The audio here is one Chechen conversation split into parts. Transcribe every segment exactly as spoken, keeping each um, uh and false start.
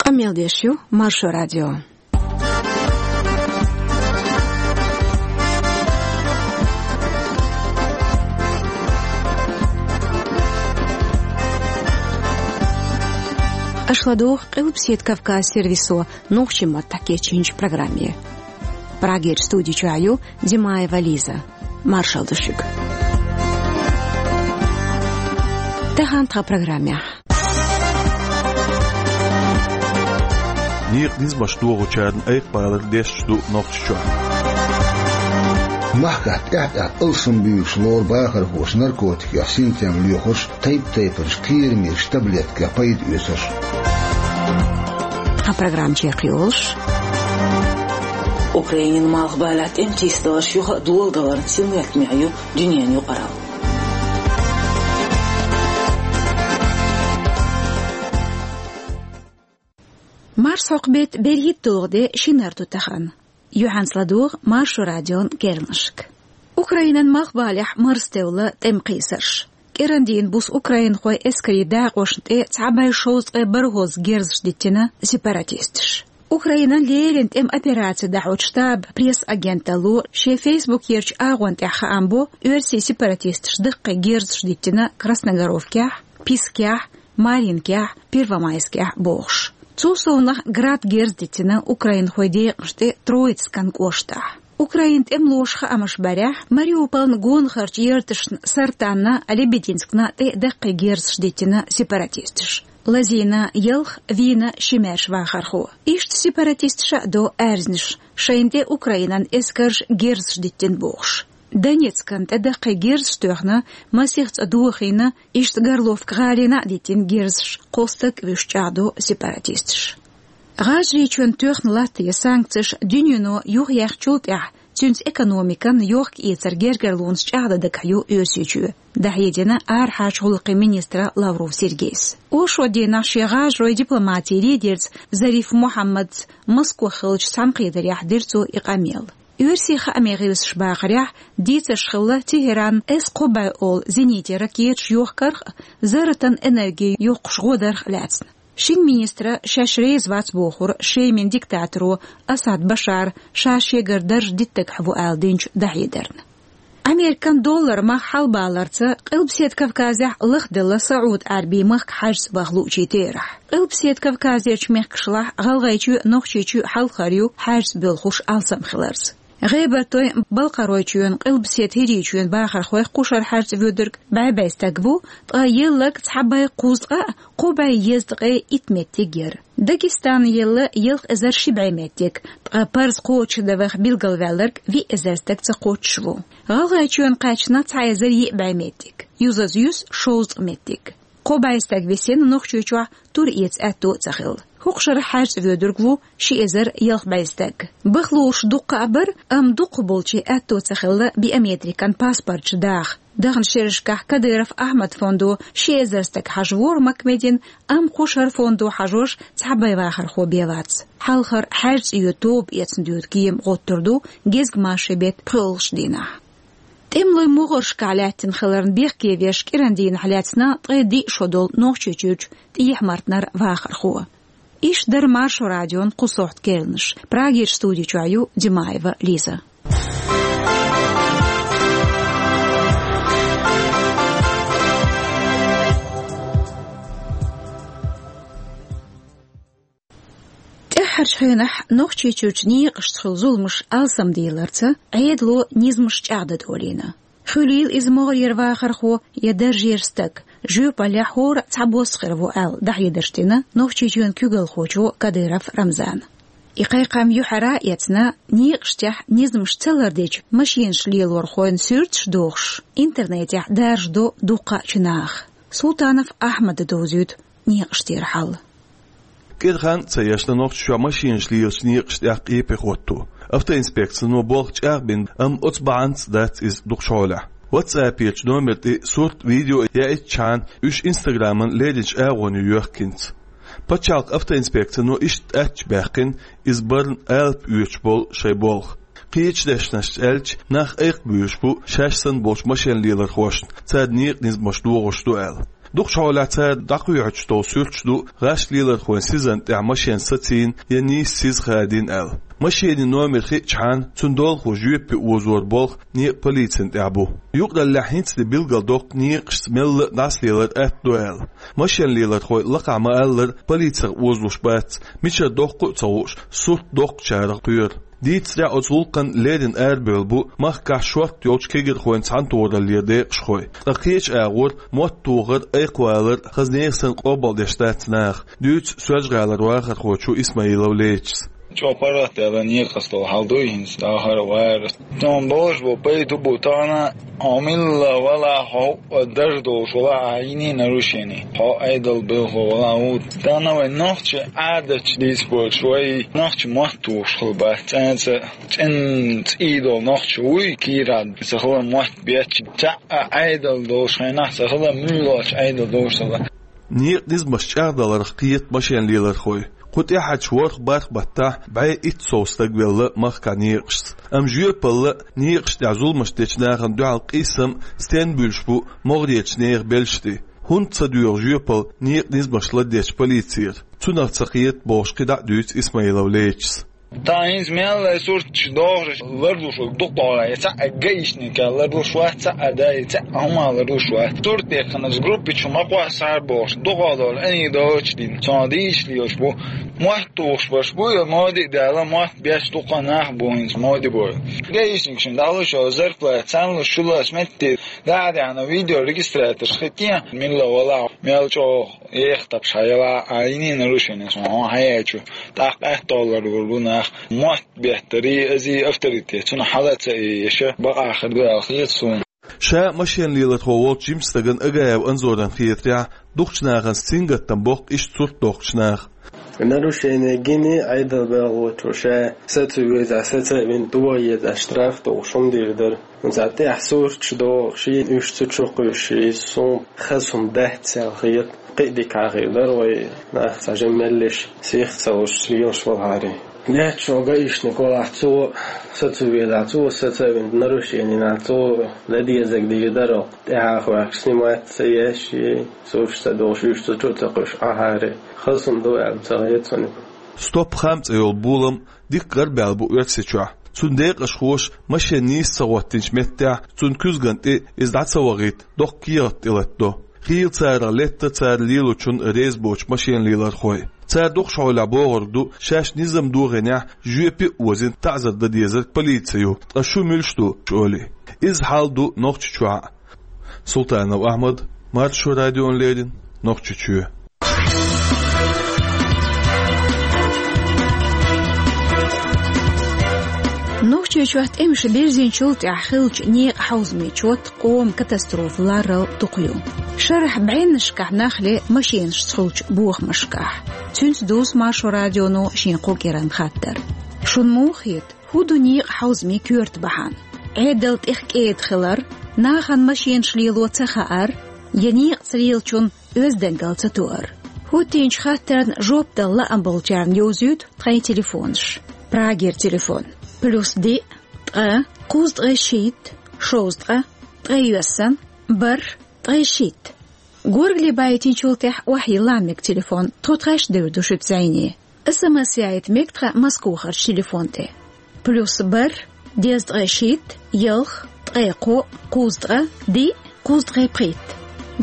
Къамел деш ю Маршо радио. Аша ладугӀу Къилбаседа Кавказ сервисо нохчийн маттахь кечйинчу программе. Прагерчу студи чохь ю Димаева Лиза. Маршалла ду шуьга. Тахана тхан программехь. Некъан низамаш дохучарна айкхабалар дешаш ду Нохчийчохь. Махкахь тӀаьхь-тӀаьхьа алсамбуьйлуш лору бахархоша наркотикех синтем лоьхурш, тайп-тайпанчу кхерамечу таблеткех пайда оьцурш. Тхан программа чекхйолуш. Украинан малхбалехь тӀеман тийсадаларш юха а доладаларна синметтаме ю дуьненан юкъаралла. Марсхьокху беттан берхӀитталгӀа де, шинара ду тахана. Юьхьанца ладугӀу Маршо радион керланашка. Украинан малхбалехь марзтевлла тӀеман кхийсарш. КӀирандийна буса украинхойн эскарийн дакъошна тӀе цхьа бӀе шовзткъе бархӀ герзаш диттина сепаратисташа. Украинан леррина тӀеман операци дӀахьочу штабан пресс-агенталло шен фейсбукерчу агӀонна тӀехь хаам бо, оьрсийн сепаратисташа даккхий герзаш диттина Красногоровкехь, Пискехь, Маринкехь, Первомайскехь бохуш. Цул совнаха Град герз диттина украинхойн декъашна тӀе Троицкан кӀоштахь. Украинан тӀемалоша хаамаш барехь, Мариуполан гонахарчу ярташна Сартанна, Лебединскна тӀе даккхий герзаш диттина сепаратисташа. Лазийна ялх, вийна ши маьрша вахархо. Иштта сепаратисташа а до аьрзнаш, шайна тӀе Украинан эскарша герзаш диттина бохуш. Донецкан тӀе даккхий герзаш тоьхна, масех цӀа дохийна, иштта Горловка гӀалина а диттина герзаш, кхо стаг а вуьйш чӀагӀдо сепаратисташа. ГӀажарийчоьнна тоьхна латтаде санкцеш дуьнено юхаяьхначул тӀаьхьа, цуьнца экономикан йохка-эцаран гергарлонаш чӀагӀдан дагахь ю Оьрсийчоь, дӀахьедина арахьарчу гӀуллакхийн министра Лавров Сергейс. Оршот дийнахь шен гӀажаройн дипломатин лидерца Зариф Мухьаммадца Москох хиллачу цхьаьнакхетарехь дира цо и къамел. Оьрсийн хааман гӀирсаша бахарехь, дийцарш хилла Тегеран С кхо бӀе олу зенитан ракеташ йохкарх а, зарратан энерги йоккхуш гӀо дарх а лаьцна. Шина министра шаьш реза вац бохура Шеман диктаторо Асад Башара ша шегара дарж диттарг хьан ву аьлла динчу дӀахьедарна. Американ доллар мах хьалабаларца Къилбаседа Кавказехь лахделла СаӀуд-Ӏаьрбийн махка хьаьжцӀа баха луучийн терахь. Къилбаседа Кавказерчу мехкашлахь ГӀалгӀайчоь а, Нохчийчоь а хьалхара ю хьаьжцӀа боьлхуш алсам хиларца. ГӀебартойн, Балкхаройчоьнан, Къилбаседа ХӀирийчоьнан бахархойх кхушара хьаьжцӀа воьдург бӀе бӀе стаг ву, ткъа елларг цхьа бӀе кхузткъа а, кхо бӀе езткъе итт меттиг яра. Дагестанна елла ялх эзар ши бӀе меттиг, ткъа парз кхочушдан ваха билгалваьлларг виъ эзар стаг ца кхоччуш ву. ГӀалгӀайчоьнна кхаьчна цхьа эзар йиъ бӀе меттиг, юзаза юьсу шовзткъа меттиг. Кхо бӀе стаг висина Нохчийчохь тур эца аьтто а ца хилла. ХӀокху шарахь хьаьжцӀа воьдург ву ши эзар ялх бӀе стаг. Баха лууш дуккха а бара, амма дукхахболчийн аьтто ца хилла биометрикан паспорташ даха. Даханчу шерашкахь Кадыров Ахьмадан фондо ши эзар стаг хьажавора Маккамедина, амма кхушара фондо хьажош цхьа бӀе вахархо бен вац. Хьалхара хьаьжцӀа йоьду тоба эцна доьду кема гӀоттур ду гезгмашин беттан пхоьалгӀачу дийнахь. ТӀемалойн могӀаршкахь лаьттина хиларна бехке веш кӀиран дийнахь лаьцна ткъе диъ шо долу Нохчийчуьрчу ТӀехьа-Мартанара вахархо. Иштта дара Маршо радион кху сохьта керланаш. Прагерчу студи чохь ю Димаева Лиза. ТӀаьххьарчу хенахь Нохчийчуьрчу некъашца хуьлу зуламаш алсамдийларца Ӏедало низамаш чӀагӀдан долийна. Хуьлийла иза могӀарера вахархо я даржера стаг, жоьпаллехь хӀора а цхьабосса хир ву аьлла, дӀахьедарш дина Нохчийчоьнан куьйгалхочо Кадыров Рамзана. И кхайкхам юьхьара а эцна, некъаштехь низамаш ца лардечу машинаш лелорхойн суьрташ а дохуш, интернетехь даржадо дуккха а чу наха. Султанов Ахьмада довзуьйту некъаштера хьал. КӀира хан а ца ешна, Нохчийчохь машинаш лелачу некъаштех къепе хӀотто. Автоинспекцино болх чӀагӀбина, амма оцу бахьанца дац иза дукхачу хьолехь. WhatsApp-ечу номер тӀе сурт, видео яийтчхьана, уьш Инстаграман лерринчу агӀоне йоьхкинца. Пачхьалкхан автоинспекцино иштта аьттачу баьккхина иза барна алапа оьцуш болу шайн болх. Кхечу дешнашца аьлча, нах айкхабуьйлуш бу шаьш санна болчу машен лелорхошна, царна некъан низамаш дохуш ду аьлла. Дукхачу хьолехь цара дӀакхоьхьучу тӀехь суьрташ ду гӀаш лелархойн сизана тӀехь машен сацийна я нийсса сиз хадийна аьлла. Машенан номер хиъчахьана, цуьнан долахо жоьпе озор болх некъан полицина тӀехь бу. Юкъараллехь хӀинца де билгалдоккху некъашца мелла а дӀасалелар атта ду аьлла. Машен лелархой лакхахь ма-аллара, полицех озалуш бац, мичара доккху а ца хууш, сурт доккхучарах кхоьру. Дийцарехь, оцу гӀуллакхана леррина арабевлла бу махкахь шортта йолчу кегирхойн цхьаьнатохараллера декъашхой. Ткъа кхечу агӀор мотт тохар, айкхвалар хаза нехан санна къобалдеш дац наха, дуьйцу Соьлжа-ГӀалара вахархочо Исмаилов Лечис. ЧӀогӀа паргӀат даьлла некъаца долу хьал ду хӀинца, дахар а вара. Тхуна бохуш бу, пайда бу тахана, хьо милла вала, хьо хӀуъа дажа долуш вала, а йиний нарушение. Хьо Ӏедал белхо вала ву. Тахана вайн нохчи Ӏадатчу дийца боцуш, вай нохчи мотт тухуш хила бац. ЦӀенца, цӀен цӀий долу нохчи вуй, кийрахь ца хилар мотт бетташ. Цхьаъ а Ӏедал долуш хенахь ца хилар, муьлхачу Ӏедал долуш ца хилар. Некъан низамаш чӀагӀдаларх кхета машен лелархой. Кху тӀаьхьарчу ворхӀ-бархӀ баттахь бӀе итт сов стаг велла махкахь некъашца. Амма жоьпалла а, некъаш тӀехь зуламаш дечу нахана дуьхьал къийсам а стенна буьлуш бу могӀарерчу нехан белшаш тӀе? ХӀунда ца доьгӀу жоьпалла некъан низамаш ладоьгӀучу полицера? Цунах ца кхета бохуш кхидӀа а дуьйцу Исмаилов Лечис. Тхан хӀинца мел а сурташ дохуш ларлуш ву дукха гӀала, я цхьаъ а гаишник ларлуш вац, цхьаъ а дай, цхьаъ а хӀума ларлуш вац. Сурт дехкана группа чу ма кхоссахьара бохуш, дукха долу Ӏийна доцуш дина, цунах дийшаш лелаш бу. Мотт тухуш берш бу, я моди а даьлла, мотт беш дукха нах бу хӀинца моди бой. Гаишник шин дӀалуш йолу зарплата, царна луш шу лаьцна метте, дӀа а даьхьна видеорегистраторш хи тӀе, милла вала, мел чӀогӀа еха тапаш хьаяла, а йиний нарушение, сон хьан хьаяьчу, тӀаккха къаьтталлар вур бу нах, мотт беттарий, азий авторитет, цунах хьала ца ийша, бакъахар ду аьлла хета суна. Ша машен лелархо волчу жимачу стагана Агаев Анзоран хетарехь, дукхачу нахана сингаттам боккху иштта сурт дохкучу наха. Нарушение гиний Ӏедал белхочо ша, са ца веза, са ца вина, догӀа еза, штраф дохуш хӀума дийр дара. Цхьа тӀехь сурташ дохуш, шена уьш ца чу кхуьйсуш, иза суна хаза хӀума дац аьлла хета. Кхин а дика хир дара вай, нах цхьа жимма меллиш, сих ца луш, лелаш валахьара. Неччо гаишник валахь, цо са ца веза, цо са ца вина, нарушение нах, цо ладезаг дийр дара, тӀаьхьа хьоькхуш, снимать ца еш, сурташ ца дохуш, уьш ца чу ца кхуьйсуш, ахьара. Хаза хӀума ду аьлла ца хета суна. Стоп-хам цӀе йолу болам дикка гӀарабаьлла бу Оьрсийчохь. Цуьнан декъашхоша машен нийсса ца хӀоттийначу меттехь, цуьнан куьзгана тӀе иза дӀа ца вахийта, доккха кехат тӀелатадо. Хийла царах летта цара лелочунна реза боцу машен лелархой. Цара дукхачу хьолехь бохург ду, шаьш низам дохийнехь, жоьпе а озийна, таӀзар дан дезарг полици ю, ткъа шу муьлш ду, олий. Иза хьал ду Нохчийчохь а. Султанов Ахьмад, Маршо радиона леррина, Нохчийчоь. Нохчийчохь тӀемаш бирзинчул тӀаьхьа хиллачу некъан хьовзамийн чот къоман катастрофа ларал дукха ю. Шарахь бӀеннашкахь нах ле машенашца хуьлучу бохамашкахь. Цуьнца дузу Маршо радионо шен кху кӀиранан хаттар. Шуна муха хета, хӀун ду некъан хьовзамийн коьрта бахьана? Ӏедал тӀех кӀеда хилар, нахана машенаш лело ца хаар, я некъаца лелачун оьздангалла ца тоар? ХӀоттийначу хаттарна жоп дала лаам болчарна йовзуьйту тхайн телефонаш. Прагера телефон: плюс диъ, ткъа, кхузткъе шийтта, шовзткъа, ткъе йоьссан, бархӀ, ткъе шийтта. Горгали байтинчул тӀаьхьа охьайилла мега телефон, тхо тхаьш девр ду шуьца зӀене. СМС яйта мега тхан Москвахарчу телефон тӀе. Плюс бархӀ, дезткъе шийтта, ялх, ткъе кхоъ, кхузткъа, диъ, кхузткъе пхийтта.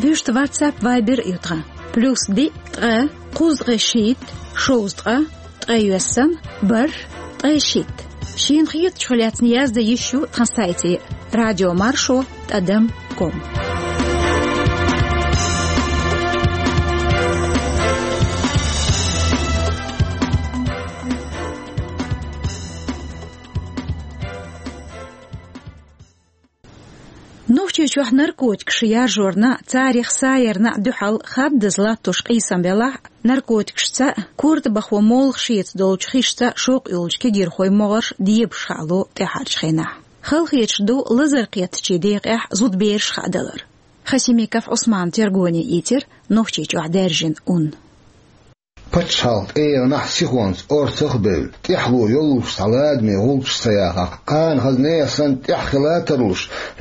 Вуьшта WhatsApp, Viber а ю тхан. Плюс диъ, ткъа, кхузткъе шийтта, шовзткъа, ткъе йоьссан, бархӀ, ткъе шийтта. Шена хетачух лаьцна яздан йиш ю тхан сайте: радиомаршо тӀадам ком. Нохчийчохь наркотикаш яржорна а, царех саярна а дуьхьал хаддаза латтош къийсам велахь а, наркотикашца а, корта бахо молха шеца долчу хишца а шовкъ йолчу кегирхойн могӀарш дебаш хаало тӀаьхьарчу хенахь. Халахеташ ду лазар кхеттачийн декъехь зудабераш хаадалар. Хасимиков Ӏусмана тергоне ийцира Нохчийчохь даьржина ун. Пачхьалкх тӀегӀанахь сихонца орцах а бевлла, тӀаьхьало йоллуш цхьа ладаме гӀулчаш ца яхахь, кхана хаза нехан санна тӀехь хила а тарлуш,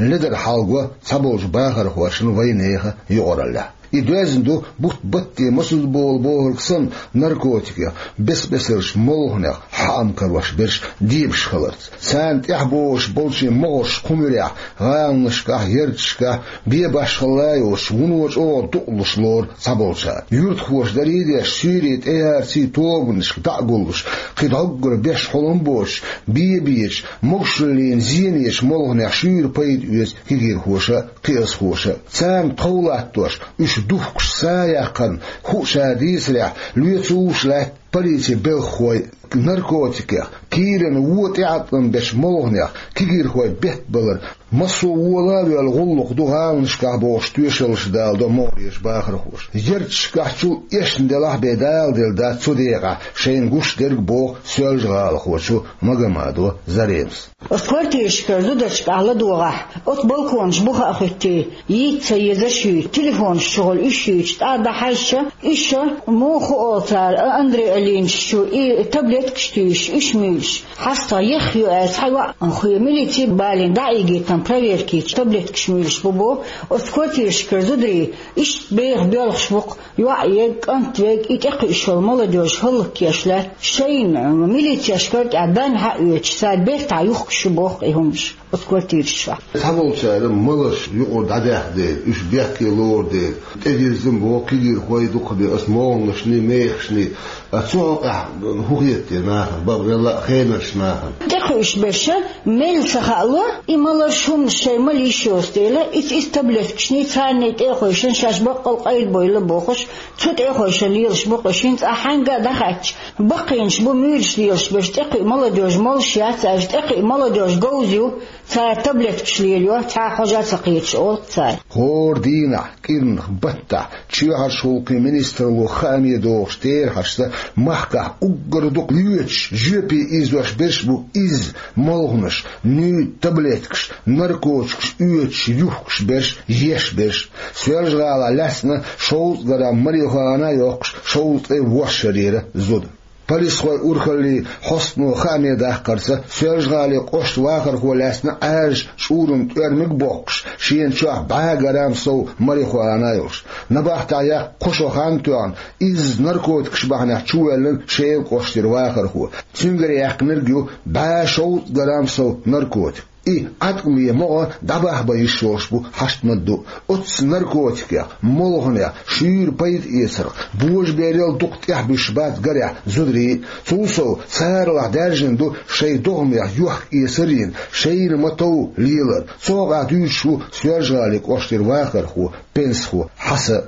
ледара хьалаго цхьаболчу бахархошна вайн нехан юкъараллехь. И доьзна ду бутт-батте масаза болу бохург санна наркотикех, бес-бесарчу молханех хьаам карош берш дебаш хиларца. Царна тӀехь богӀуш болчийн могӀарш кху муьрехь гӀаланашкахь, ярташкахь бен башхалла йоцуш, вуно чӀогӀа дукъалуш лору цхьаболчара. Юьртахоша дарий а деш, суьйре тӀеярций тобанашка дӀа а гуллуш, кхин дӀоггара беш хьулам боцуш, бен бечу, могушаллина зенечу молханех шуьйра пайда оьцу кегийрхоша а, кхиазхоша а. Царна тхов латтош, уьш духкуш са яккхарна хууш а дийцарехь, лоьцуш лаьтта полицин белхахой наркотикех, кийрана вон тӀеӀаткъам бечу молханех кегийрхой беттабалар, массо а вола а воьлла гӀуллакх ду гӀаланашкахь бохуш тоьшаллаш даладо могӀарерчу бахархоша. Ярташкахь чул эшна делахь а бен даладелла дац цу декъехь шайна гуш дерг, боху Соьлжа-ГӀалахочо Магомадова Заремас. Оцу квартирашкара зударшкахь ладогӀахь, оцу балконаш буха а хӀуьттий, йийца ца езаш юй, телефонаш чухула уьш юьйцуш, тӀаккха дӀахьаьжча, уьш, муха олу цара, а, Андрей Алинович чу и таблеткаш туьйсуш, уьш муьйлуш. ХьастагӀа ехха ю аьлла, цхьа йоӀ хуьлу, милици балийна дӀа а ийгийтина, проверка йича, таблеткаш муьйлуш бу боху, оцу квартирашкара зударий иштта беха боьлхуш бу-кх. ЙоӀ ерг, кӀант верг, и тӀекхуьуш йолу молодёжь хӀаллакьхилийта лаьтта, шайна милицешкара тӀехь бен хьаоьцуш, цара бертахь юхкуш ю боху и хӀуманаш оцу квартираш чохь. Цхьаболчара маларш юкъара дӀадаьхна дела, уьш бехке лору дела, тӀедирзина боху кегийрхой дукхахбе оцу молханашний, мехашний. А цу хьокъехь хӀун хета те нахана, бакъвелла а хенарш нахана? ТӀекхуьуш берш мел ца хаало, и маларш, хӀуманаш шайн мала йиш йоцу дела, иза, иза таблеткашний, царний тӀе а хойшина, шаьш баккъал къайда бойла бохуш, цу тӀе а хойшина лелаш бу-кх уьш. ХӀинца ахь хьаьнга а дӀахаьттича, баккхийнаш бу муьйлуш лелаш берш, тӀекхуьу молодёжь молуш яц аьлча, тӀекхуьу молодёжь говза ю, цара таблеткаш лелайо, цхьа хьожа а ца кхеташ, олу-кх цара. ХӀора дийнахь, кӀирнах, баттахь, чоьхьарчу гӀуллакхийн министралло хааме дохуш терахьашца, махкахь уггар дукха лоьцуш, жоьпе ийзош берш бу изза молханаш, нуьйда таблеткаш, наркотикаш оьцуш, юхкуш берш, еш берш. Соьлжа-ГӀалахь лаьцна шовзткъа грамм марихуана а йоккхуш, шовзткъе ворхӀ шарера зуда. Полисхойн урхаллин хьостано хааме даккхарца, Соьлжа-ГӀалин кӀоштан вахархо лаьцна Ӏаьржачу чкъуран тӀоьрмиг а боккхуш, шена чохь бӀе грамм сов марихуана а йолуш. Набахтехь яккха кхо шо хан а тоьхна, изза наркотикаш бахьанехь чувоьллина Шелан кӀоштара вахархо. Цуьнгара яьккхинарг ю бӀе шовзткъа грамм сов наркотик. И Ӏаткъаме могӀа дӀабахьа бан йиш йолуш бу хьашт ма-дду. Оццу наркотикех, молханех шуьйра пайда эцарх, божаберал дукха тӀехь буьсуш бац гарехь зударий. Цул сов, царалахь даьржина ду шайн догӀмех йохк-эсар а йина, шайна ма-тов лелар. Цу хьокъехь дуьйцуш ву Соьлжа-ГӀалин кӀоштара вахархо, пенсихо Хьасан.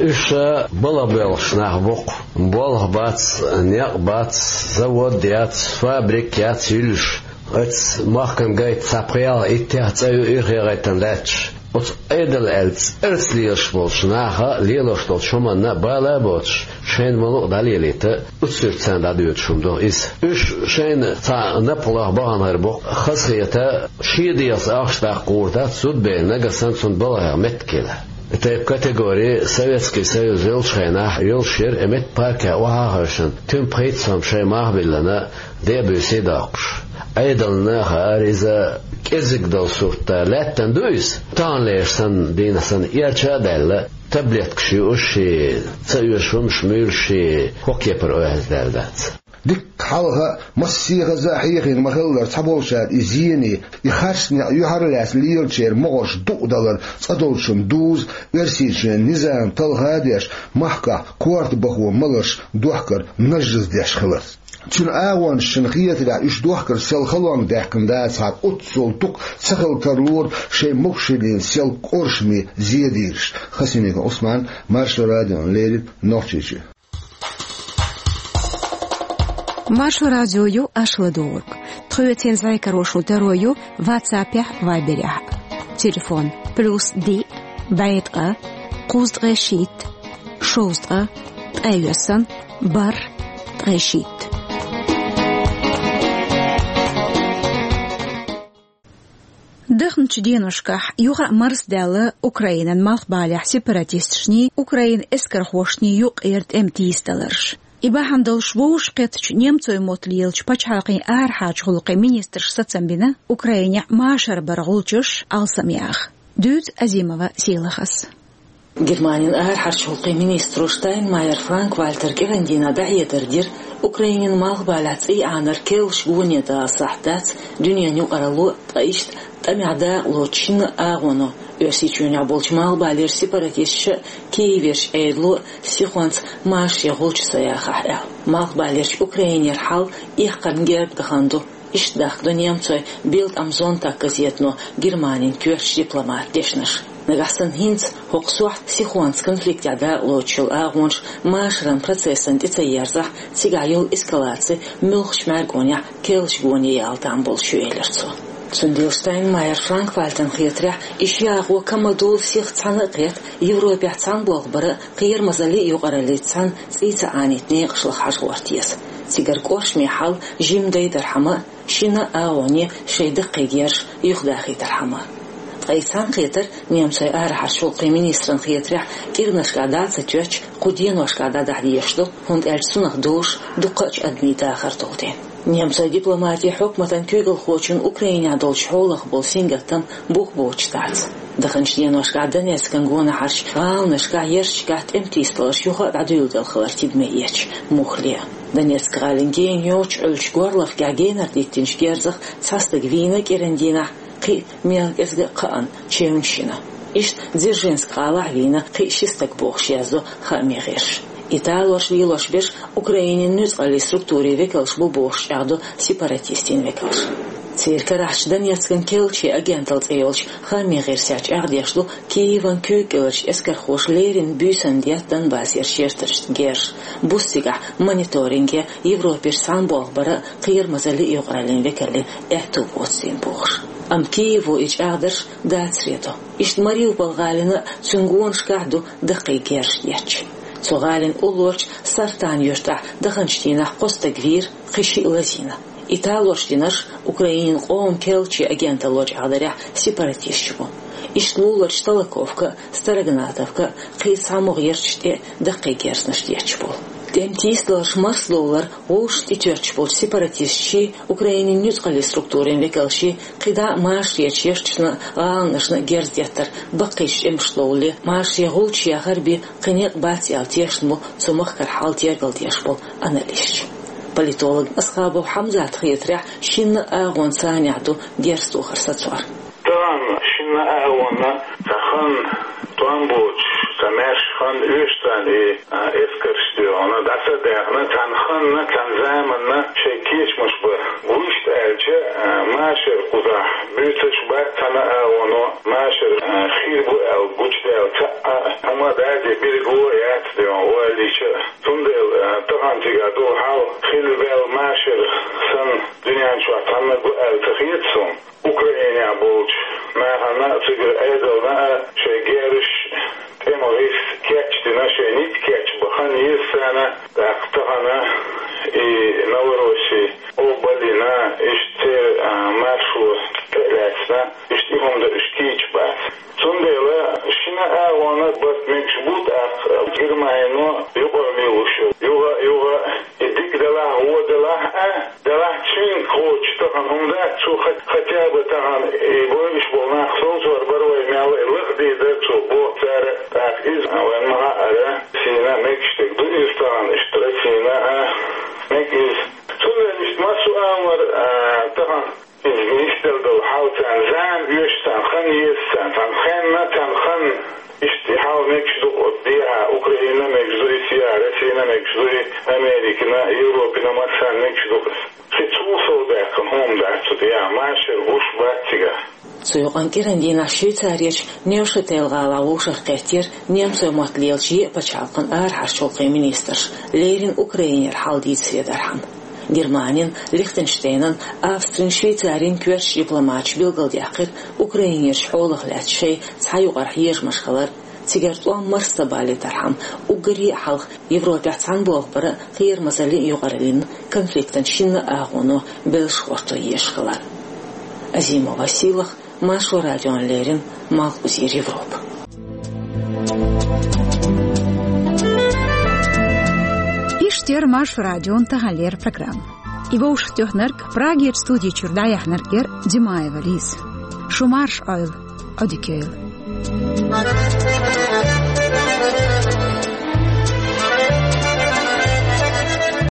Уьш балха боьлхуш нах бу-кх. Болх бац, некъ бац, завод яц, фабрика яц юьллуш. Оцу махкана гайта цхьа пхиъ, иттех цӀа ю ирхъе гӀайтина лаьтташ. Оцу Ӏедал аьлла цӀарца лелаш болчу наха лелош долчу хӀуманна а бала а боцуш, шайна ма-луъу дӀалелийта, уьш царна дӀадоьдуш хӀума ду иза. Уьш шайна цхьа напха лаха бахана хир бу-кх, хазахета, шен дегӀаца ахча даккха гӀур дац зуда бен, нагахь санна цунна балхех меттиг хила. И тайпа категори Советский Союз йолчу хенахь йолуш яра, и меттиг паркехь охьа а хевшина, туьма пхийтта сом шайн мах а биллина, де а буьйсий а доккхуш. Ӏедална хаар иза кӀезиг долу сурт, лаьттана ду иза. Таханлерчу санна, дийнахь санна, эрча а даьлла, таблеткаш юуш, шен ца оьшу хӀумаш муьйлуш, шен хӀокху кепара ойхьаздаьлла дац. Дикка хьалха а, массехаза а хьехийна ма-хиллара, цхьаболчара и зене, и харц некъ юьхьарлаьцна лелачеран могӀарш дукъадалар цӀа долчунна дузу Оьрсийчоьнан низам талха а деш, махкахь корта бахо маларш дохкар нажжаздеш хиларца. Цуьнан агӀончашна хетарехь, уьш дохкар сел халонга даьккхина дацахьара, оццул дукха ца хила тарлора шайн могушаллина сел кӀоршаме зен дийраш. Хасимиков Ӏусман, Маршо радиона леррина, Нохчийчоь. Маршо радио ю аша ладугӀург. Тхоьца зӀе каро шун таро ю WhatsApp-ехь, Viber-ехь. Телефон: плюс диъ, бӀе ткъа, кхузткъе шийтта, шовзткъа, ткъе йоьсна, бархӀ, ткъе шийтта. Дахначу деношкахь юха а марсадаьлла Украинан малхбалехь сепаратисташний, Украинан эскархошний юккъера тӀеман тийсадаларш. И бахьана долуш вовшахкхеттачу немцойн мотт лелачу пачхьалкхийн арахьарчу гӀуллакхийн министраша сацам бина Украинехь машар баран гӀулчаш алсамъяха. Дуьйцу Азимова Сийлахьас. Германин арахьарчу гӀуллакхийн министро Штайнмайер Франк-Вальтера кӀиран дийнахь дӀахьедар дира, Украинин малхбалехь цӀий Ӏанар керлачу гоне дала сахьт дац дуьненан юкъаралло, ткъа иштта тӀамехь дакъалоцу шина агӀоно, Оьрсийчоьнехь болчу малхбалерчу сепаратисташа а, Киеверчу Ӏедало а сихонца машаре гӀулч ца яхахь аьлла. Малхбалерчу Украинера хьал эккхарна герга дахана ду. Иштта дахка ду немцойн Bild am Sonntag газетано Германин коьртачу дипломатан дешнаш. Нагахь санна хӀинца хӀокху сохьта сихонца конфликтехь дакъалоцуш йолу агӀонаш машаран процессан тӀе ца ерзахь, цигахь йолу эскалаци муьлххачу мӀаьргонехь керлачу гоне яла там болуш ю, элира цо. Цундела Штайнмайер Франк-Вальтерна хетарехь, и ши агӀо ка ма-дуьйла сиха цхьаьна а кхетта, Европехь цхьаьна болх бара а, кхерамазаллин а юкъараллица цхьаьна цӀий ца Ӏанийтина некъаш лаха хьажа гӀорта еза. Цигара кӀоршаме хьал жимма дайдархьама а, шина агӀоне шайн даккхий герзаш юхадахийтархьама а. Ткъа и цхьаьнакхетар, немцойн арахьарчу гӀуллакхийн министран хетарехь, кӀиранашкахь дӀа а ца тоьттуш, кху деношкахь дӀадахьа дезаш ду, хӀунда аьлча цунах дозуш дуккха а адамийн дахар долу дела. Немцойн дипломатин хьукматан куьйгалхочун Украинехь долчу хьолах болу сингаттам бух боцуш дац. Даханчу деношкахь Донецкан гонахьарчу гӀаланашкахь, ярташкахь тӀеман тийсадаларш юха а дӀадуьйладелла хилар тидаме эцча муххале а. Донецк-гӀалин гена йоцчу Ӏуьллучу горлахкехь генара диттинчу герзах цхьа стаг вийна кӀиран дийнахь, кхин а мел кӀезга а кхаъна, чевнаш йина. Иштта Дзержинск гӀалахь вийна кхин а ши стаг бохуш яздо хаамийн гӀирсаша. И талорш лелош берш Украинин нуьцкъаллин структурийн векалш бу бохуш чӀагӀдо сепаратистийн векалш. Церан карахьчу Донецкан керлачийн агенталла цӀе йолчу хаамийн гӀирсехь чӀагӀдеш ду Киеван куьйга кӀеларчу эскархоша леррина буьйсанна детта Донбассерчу ярташна герзаш, буьйсанна цигахь мониторинге, Европерчу цхьаьна болх бара а, кхерамазаллин а юкъараллин векаллин аьтто боцийна бохуш. Амма Киево и чӀагӀдарш дацаре до. Иштта Мариуполь-гӀалина а, цуьнан гонашкахь а ду даккхий герзаш детташ. Цу гӀалин уллорчу Сартан юьртахь даханчу дийнахь кхо стаг вийра, кхин шиъ лазийна. И талорш динарш Украинин къоман керлачийн агенталло чӀагӀдарехь сепаратисташ бу. Иштта луларчу Толоковка а, Строгонатовка а, кхин цхьа могӀа ярташ тӀе а даккхий герзанаш детташ болу. ТӀеман тийсадаларш марсадовлар вовшашна тӀетоьттуш болчу сепаратисташший, Украинин нуьцкъаллин структурийн векалшший кхидӀа а машарерчу ярташна а, гӀаланашна а герз деттар баккхийчу тӀемашна довлале, машаре гӀулч яхар бен кхин некъ бац аьлла тешна бу цу махкара хьал тергалдеш болу аналисташ. Политолог Асхабов Хьамзатан хетарехь, шинна а агӀонца цхьаьнехь ду герз тохар сацор. Тахана шинна а агӀонна цхьа хан тӀом боцуш, цхьа маьрша хан оьшуш царна и, а, эскарш доьгӀна, дӀа ца даьхна, цхьана ханна, цхьана заманна шайн кечамаш бан. Вуьшта аьлча, а, машар кхузахь буьйцуш бац цхьана а агӀоно, машар, а, хир бу аьлла гучудаьлла цхьа а хӀума, даде, билгало яц доьгӀна ойла йича а. Цундела, а, тахана цигахь долу хьал хилла ваьлла машар санна дуьнен чохь цхьаннаг ву аьлла ца хета суна. Украинехь болчу нахана а, цигара Ӏедална а шайн герзаш, тӀеман гӀирс кечдина, шайн ницкъ кечбан хан еза царна, тӀаккха тахана и Новороссия къобалйина, иштта церан, а, маршо тӀе а лаьцна, иштта и хӀума дан уьш кийча бац. Цундела шина а агӀонна барт мегаш бу, тӀаккха Германино юкъара лелош йолу юха а, юха а и дика делахь, вон делахь а, делахь цуьнга кхочуш тахана хӀума дац, цо хат-, хатя бы тахана и бойуш болу нах совцор бара вай мел, и лаха дийр дара цо, боху цара, тӀаккха иза вайн ма-хаъара, сийна мегаш дерг ду иза тахана, иштта Россина а мега иза. Цундела иштта массо а амал, а, тахана иза нисделла долу хьал царна зама оьшу, царна хан еза, царна цхьана хенна, царна ханна иштта и хьал мегаш ду-кх оцу дехьа, Украина мегаш ду иза, я Россина мегаш ду иза, Америкина, Европина, массарна мегаш ду-кх иза. Кхин цул сов даьккхина хӀума дац цу дехьа, машар гуш бац цигахь. Цу юкъанна кӀиран дийнахь Швейцарерчу Невшатель-гӀалахь вовшахкхеттера немцойн мотт лелачу еа пачхьалкхан арахьарчу гӀуллакхийн министраш, леррина Украинера хьал дийцаре дархьама. Германин, Лихтенштейнан, Австрин, Швейцарин коьртачу дипломаташа билгалдаьккхира Украинерчу хьолах лаьцна шайн цхьа юкъара хьежамаш хилар, цигара тӀом марсабалийтархьама, уггаре а хьалха Европехь цхьана болх бара а, кхерамазаллин а юкъараллин а конфликтан шинна а агӀоно беллаш гӀортор езаш хилар. Азимова Сийлаха, Маршо радиона леррина, Малхбузера Европа. Иштта яра Маршо радион таханлера программа. И вовшахтоьхнарг, Прагерчу студи чуьра дӀаяьхьнарг яра Димаева Лиза. Шу марша Ӏойла, Ӏодика йойла.